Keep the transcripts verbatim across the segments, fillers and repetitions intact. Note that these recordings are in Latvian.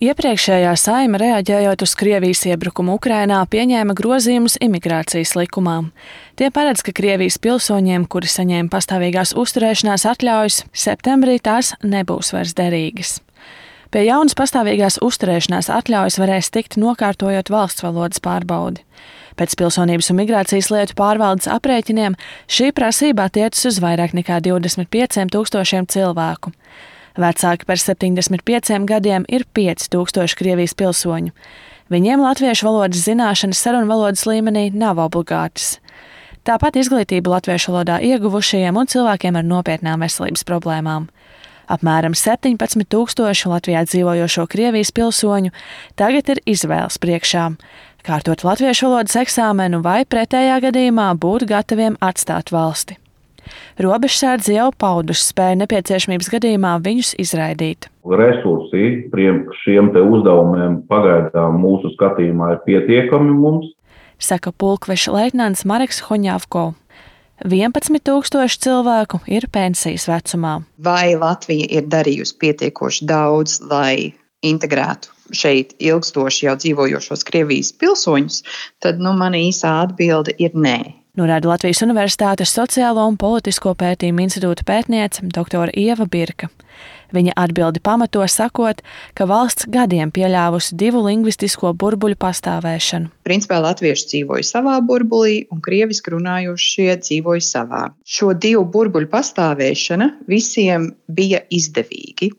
Iepriekšējā Saeima, reaģējot uz Krievijas iebrukumu Ukrainā, pieņēma grozījumus imigrācijas likumā. Tie paredz, ka Krievijas pilsoņiem, kuri saņēma pastāvīgās uzturēšanās atļaujas, septembrī tās nebūs vairs derīgas. Pie jaunas pastāvīgās uzturēšanās atļaujas varēs tikt nokārtojot valsts valodas pārbaudi. Pēc Pilsonības un migrācijas lietu pārvaldes aprēķiniem šī prasība attiecas uz vairāk nekā divdesmit pieciem tūkstošiem cilvēku. Vecāki par septiņdesmit pieciem gadiem ir pieci tūkstoši Krievijas pilsoņu. Viņiem latviešu valodas zināšanas sarunvalodas līmenī nav obligātas. Tāpat izglītību latviešu valodā ieguvušajiem un cilvēkiem ar nopietnām veselības problēmām. Apmēram septiņpadsmit tūkstoši Latvijā dzīvojošo Krievijas pilsoņu tagad ir izvēles priekšā – kārtot latviešu valodas eksāmenu vai pretējā gadījumā būt gataviem atstāt valsti. Robežsardze jau pauduši spēju nepieciešamības gadījumā viņus izraidīt. Resursi šiem te uzdevumiem pagaidām mūsu skatījumā ir pietiekami mums, saka pulkveša leitnants Mareks Hoņavko. vienpadsmit tūkstoši cilvēku ir pensijas vecumā. Vai Latvija ir darījusi pietiekoši daudz, lai integrētu šeit ilgstoši jau dzīvojošos Krievijas pilsoņus, tad nu, mana īsā atbilde ir nē. Norāda Latvijas Universitātes Sociālo un politisko pētījumu institūta pētniece doktora Ieva Birka. Viņa atbildi pamato sakot, ka valsts gadiem pieļāvusi divu lingvistisko burbuļu pastāvēšanu. Principā latvieši dzīvoja savā burbulī un krieviski runājošie dzīvoja savā. Šo divu burbuļu pastāvēšana visiem bija izdevīgi.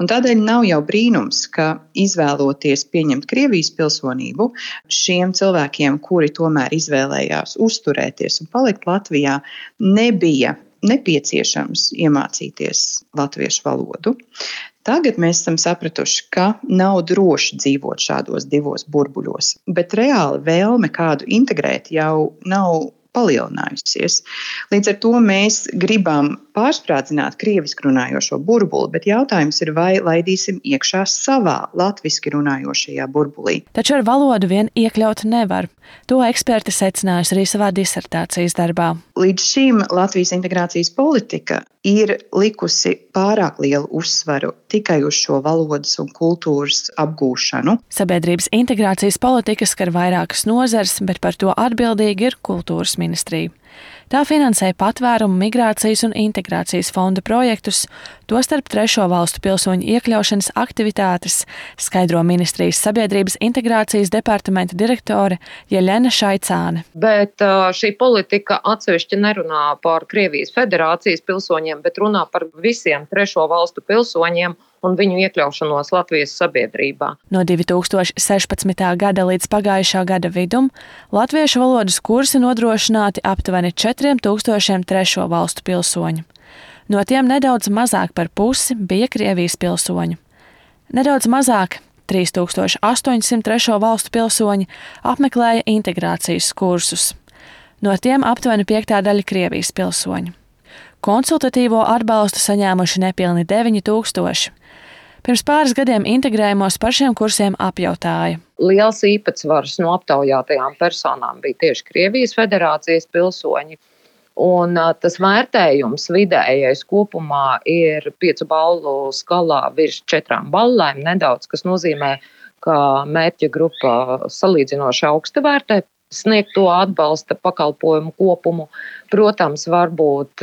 Un tādēļ nav jau brīnums, ka izvēloties pieņemt Krievijas pilsonību, šiem cilvēkiem, kuri tomēr izvēlējās uzturēties un palikt Latvijā, nebija nepieciešams iemācīties latviešu valodu. Tagad mēs esam sapratuši, ka nav droši dzīvot šādos divos burbuļos, bet reāli vēlme kādu integrēt jau nav palielinājusies. Līdz ar to mēs gribam pārsprādzināt krieviski runājošo burbuli, bet jautājums ir, vai laidīsim iekšā savā latviski runājošajā burbulī. Taču ar valodu vien iekļaut nevar. To eksperti secinājusi arī savā disertācijas darbā. Līdz šim Latvijas integrācijas politika ir likusi pārāk lielu uzsvaru tikai uz šo valodas un kultūras apgūšanu. Sabiedrības integrācijas politika skar vairākas nozares, bet par to atbildīgi ir kultūras ministrija. Tā finansē patvērumu, migrācijas un integrācijas fonda projektus, tostarp trešo valstu pilsoņu iekļaušanas aktivitātes, skaidro ministrijas sabiedrības integrācijas departamenta direktore Jeļena Šaicāne. Bet šī politika atsevišķi nerunā par Krievijas federācijas pilsoņiem, bet runā par visiem trešo valstu pilsoņiem un viņu iekļaušanos Latvijas sabiedrībā. No divi tūkstoši sešpadsmitā gada līdz pagājušā gada vidum latviešu valodas kursi nodrošināti aptuveni četriem tūkstošiem trešo valstu pilsoņu. No tiem nedaudz mazāk par pusi bija Krievijas pilsoņu. Nedaudz mazāk, trīs tūkstoši astoņsimt trešo valstu pilsoņi apmeklēja integrācijas kursus. No tiem aptuveni piektā daļa Krievijas pilsoņu. Konsultatīvo atbalstu saņēmuši nepilni deviņi tūkstoši. Pirms pāris gadiem integrējumos par šiem kursiem apjautāja. Liels īpatsvars no aptaujātajām personām bija tieši Krievijas federācijas pilsoņi. Un tas vērtējums vidējais kopumā ir piecu balvu skalā virs četrām ballēm nedaudz, kas nozīmē, ka mērķa grupa salīdzinoši augsti vērtē sniegto atbalsta pakalpojumu kopumu. Protams, varbūt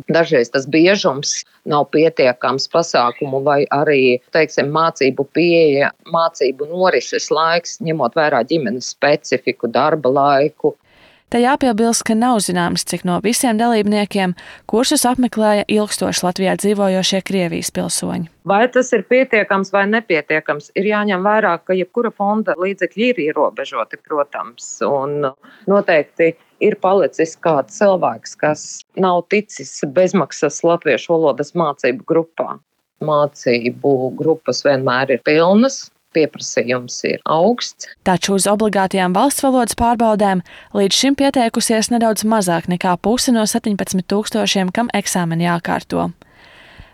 dažreiz tas biežums nav pietiekams pasākumu vai arī, teiksim, mācību pieeja, mācību norises laiks, ņemot vērā ģimenes specifiku, darba laiku. Te jāpiebilst, ka nav zināms, cik no visiem dalībniekiem kursus apmeklēja ilgstoši Latvijā dzīvojošie Krievijas pilsoņi. Vai tas ir pietiekams vai nepietiekams, ir jāņem vērā, ka jebkura fonda līdzekļi ir ierobežoti, protams, un noteikti ir palicis kāds cilvēks, kas nav ticis bezmaksas latviešu valodas mācību grupā. Mācību grupas vienmēr ir pilnas. Pieprasījums ir augsts. Taču uz obligātajām valsts valodas pārbaudēm līdz šim pieteikusies nedaudz mazāk nekā puse no septiņpadsmit tūkstošiem, kam eksāmeni jākārto.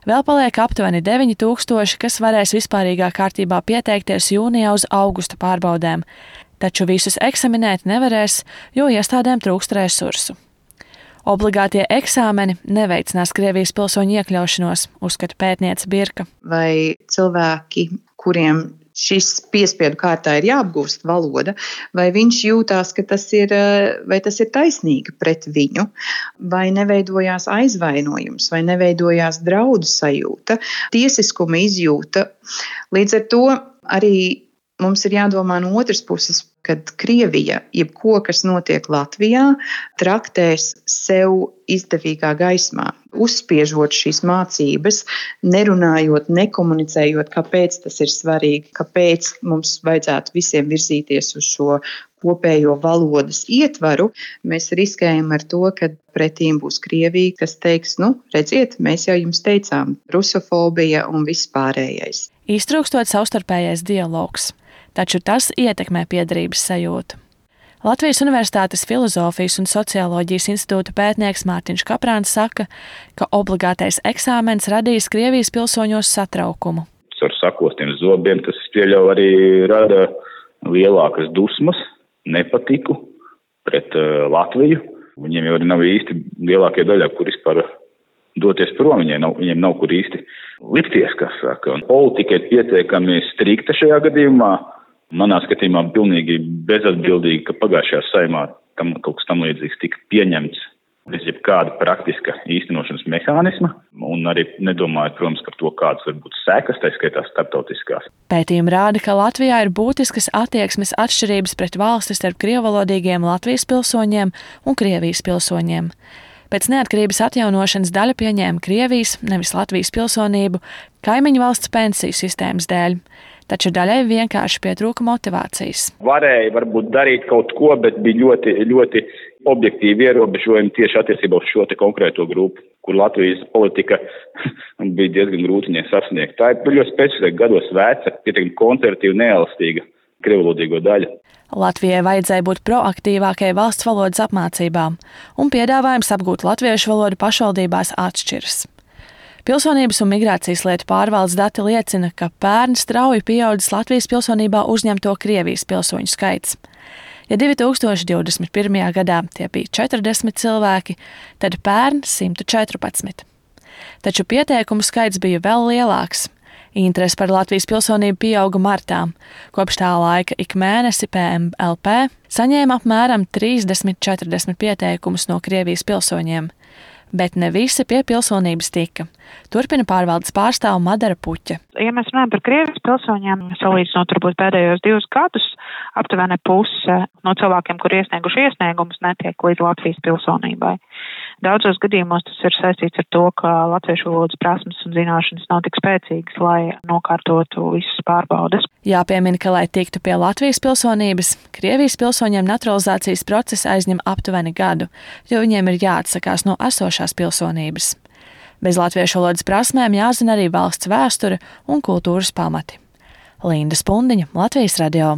Vēl paliek aptuveni deviņi tūkstoši, kas varēs vispārīgā kārtībā pieteikties jūnijā uz augusta pārbaudēm, taču visus eksaminēt nevarēs, jo iestādēm trūkst resursu. Obligātie eksāmeni neveicinās Krievijas pilsoņu iekļaušanos, uzskata pētniece Birka. Vai cilvēki, kuriem šis piespiedu kārtā ir jāapgūst valoda, vai viņš jūtās, ka tas ir, vai tas ir taisnīgi pret viņu, vai neveidojās aizvainojums, vai neveidojās draudu sajūta, tiesiskuma izjūta. Līdz ar to arī mums ir jādomā no otras puses, kad Krievija, jebko, kas notiek Latvijā, traktēs sev izdevīgā gaismā, uzspiežot šīs mācības, nerunājot, nekomunicējot, kāpēc tas ir svarīgi, kāpēc mums vajadzētu visiem virzīties uz šo kopējo valodas ietvaru, mēs riskējam ar to, ka pretīm būs Krievija, kas teiks, nu, redziet, mēs jau jums teicām, rusofobija un viss pārējais. Iztrūkstot savstarpējais dialogs, taču tas ietekmē piederības sajūtu. Latvijas Universitātes Filozofijas un socioloģijas institūta pētnieks Mārtiņš Kaprāns saka, ka obligātais eksāmens radīs Krievijas pilsoņos satraukumu. Ar sakostiem zobiem tas pieļauj arī rada lielākas dusmas, nepatiku pret uh, Latviju. Viņiem jau nav īsti lielākie daļā, kur vispār doties prom, viņiem nav, viņiem nav kur īsti likties, kas saka. Un politika ir pietiekami strikta šajā gadījumā. Manā skatījumā pilnīgi bezatbildīgi, ka pagājušajā saimā tam kaut kas tam līdzīgs tika pieņemts bez jebkāda praktiska īstenošanas mehānisma, un arī nedomājot, protams, par to, kādas var būt sekas, tā skaitā starptautiskās. Pētījumi rāda, ka Latvijā ir būtiskas attieksmes atšķirības pret valsti starp krievalodīgiem Latvijas pilsoņiem un Krievijas pilsoņiem. Pēc neatkarības atjaunošanas daļa pieņēma Krievijas, nevis Latvijas pilsonību, kaimiņu valsts pensiju sistēmas dēļ. Taču daļai vienkārši pietrūka motivācijas. Varēja varbūt darīt kaut ko, bet bija ļoti, ļoti objektīvi ierobežojumi tieši attiecībā uz šo te konkrēto grupu, kur Latvijas politika bija diezgan grūti viņai sasniegt. Tā ir ļoti specifiska gados veca, pietiekami konservatīva, neelastīga krievvalodīgo daļa. Latvijai vajadzēja būt proaktīvākai valsts valodas apmācībām, un piedāvājums apgūt latviešu valodu pašvaldībās atšķiras. Pilsonības un migrācijas lietu pārvaldes dati liecina, ka pērn strauji pieaudzis Latvijas pilsonībā uzņemto Krievijas pilsoņu skaits. Ja divi tūkstoši divdesmit pirmajā gadā tie bija četrdesmit cilvēki, tad pērn simt četrpadsmit. Taču pieteikumu skaits bija vēl lielāks. Interese par Latvijas pilsonību pieauga martā. Kopš tā laika ik mēnesi P M L P saņēma apmēram trīsdesmit četrdesmit pieteikumus no Krievijas pilsoņiem. Bet ne visi pie pilsonības tika. Turpina pārvaldes pārstāve Madara Puķa. Ja mēs runājam par Krievijas pilsoņiem, salīdzinot varbūt pēdējos divus gadus, aptuveni puse no cilvēkiem, kur iesnieguši iesniegumus, netiek līdz Latvijas pilsonībai. Daudzos gadījumos tas ir saistīts ar to, ka latviešu valodas prasmes un zināšanas nav tik spēcīgas, lai nokārtotu visas pārbaudes. Jāpiemina, ka, lai tiktu pie Latvijas pilsonības, Krievijas pilsoņiem naturalizācijas process aizņem aptuveni gadu, jo viņiem ir jāatsakās no esošās pilsonības. Bez latviešu valodas prasmēm jāzina arī valsts vēsture un kultūras pamati. Linda Spundiņa, Latvijas radio.